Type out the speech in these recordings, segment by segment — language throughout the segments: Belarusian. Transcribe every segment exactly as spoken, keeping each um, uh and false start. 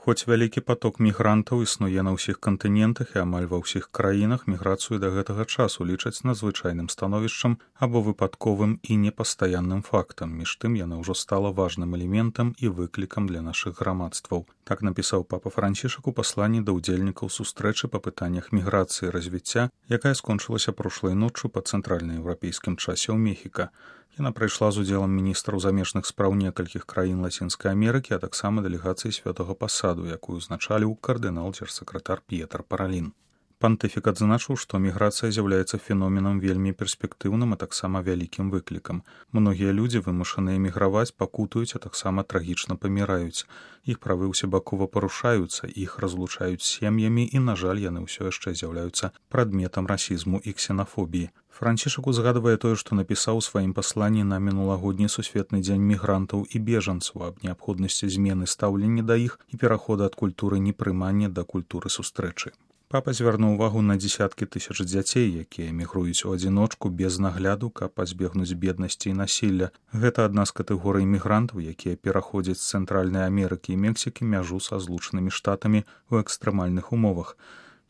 Хоць вялікі поток мігрантаў існуе на ўсіх кантынентах і амаль ва ўсіх краінах, міграцыю да гэтага часу лічаць надзвычайным становішчам або выпадковым і непастаянным фактам. Між тым яна ўжо стала важным элементам і выклікам для нашых грамадстваў. Так напісаў папа Францішак у пасланні да ўдзельнікаў сустрэчы па пытаннях міграцыі і развіцця, якая скончылася прошлай ноччу па цэнтральнаеўрапейскім часе ў Мехіка. Яна прайшла з удзелам міністраў замежных спраў некалькіх краін Лацінскай Амерыкі, а таксама дэлегацыі святога пасаду, якую узначаліў кардынал-дзяржсакратар П'етр Паралін. Пантыфік адзначыў, што міграцыя з'яўляецца феноменам вельмі перспектыўным, а таксама вялікім выклікам. Многія людзі, вымушаныя міграваць, пакутуюць, а таксама трагічна паміраюць. Іх правы ўсебакова парушаюцца, іх разлучаюць з сем'ямі і, на жаль, яны ўсё яшчэ з'яўляюцца прадметам расізму і ксенафобіі. Францішак узгадвае тое, што напісаў у сваім пасланні на мінулагодні сусветны дзень мігрантаў і бежанцаў аб неабходнасці змены стаўлення да іх і перахода ад культуры непрымання да культуры сустрэчы. Папа звярнуў увагу на дзесяткі тысяч дзяцей, якія мігруюць у адзіночку без нагляду, каб пазбегнуць беднасці і насілля. Гэта адна з катэгорый мігрантаў, якія пераходзяць з Цэнтральнай Амерыкі і Мексікі мяжу са злучанымі штатамі ў экстрэмальных умовах.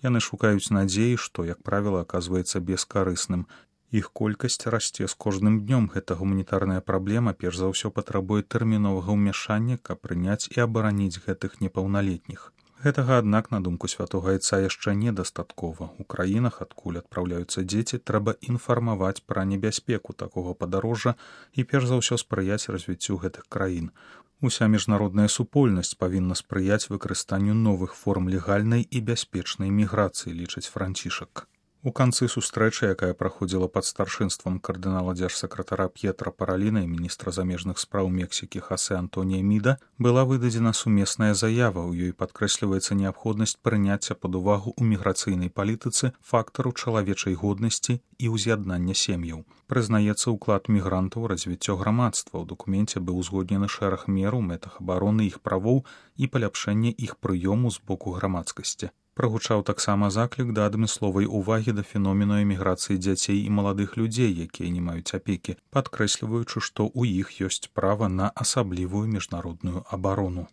Яны шукаюць надзеі, што, як правіла, аказваецца бескарысным. Іх колькасць расце з кожным днём. Гэта гуманітарная праблема перш за ўсё патрабуе тэрміновага ўмяшання, каб прыняць і абараніць гэтых непаўналетніх. Гэтага, аднак, на думку святога айца яшчэ недастаткова. У краінах, адкуль адпраўляюцца дзеці, трэба інфармаваць пра небяспеку такога падарожжа і перш за ўсё спрыяць развіццю гэтых краін. Уся міжнародная супольнасць павінна спрыяць выкарыстанню новых форм легальнай і бяспечнай міграцыі, лічыць Францішак. У канцы сустрэчы, якая праходзіла пад старшынствам кардынала-дзяржсакратара П'етра Параліна і міністра замежных спраў Мексікі Хосе Антонія Міда, была выдадзена сумесная заява. У ёй падкрэсліваецца неабходнасць прыняцця пад увагу ў міграцыйнай палітыцы фактару чалавечай годнасці і ўз'яднання сем'яў. Прызнаецца ўклад мігрантаў у развіццё грамадства. У дакуменце быў узгоднены шэраг мер у мэтах абароны іх правоў і паляпшэння іх прыёму з боку грамадскасці. Прагучаў таксама заклік да адмысловай увагі да феномену эміграцыі дзяцей і маладых людзей, якія не маюць апекі, падкрэсліваючы, што ў іх ёсць права на асаблівую міжнародную абарону.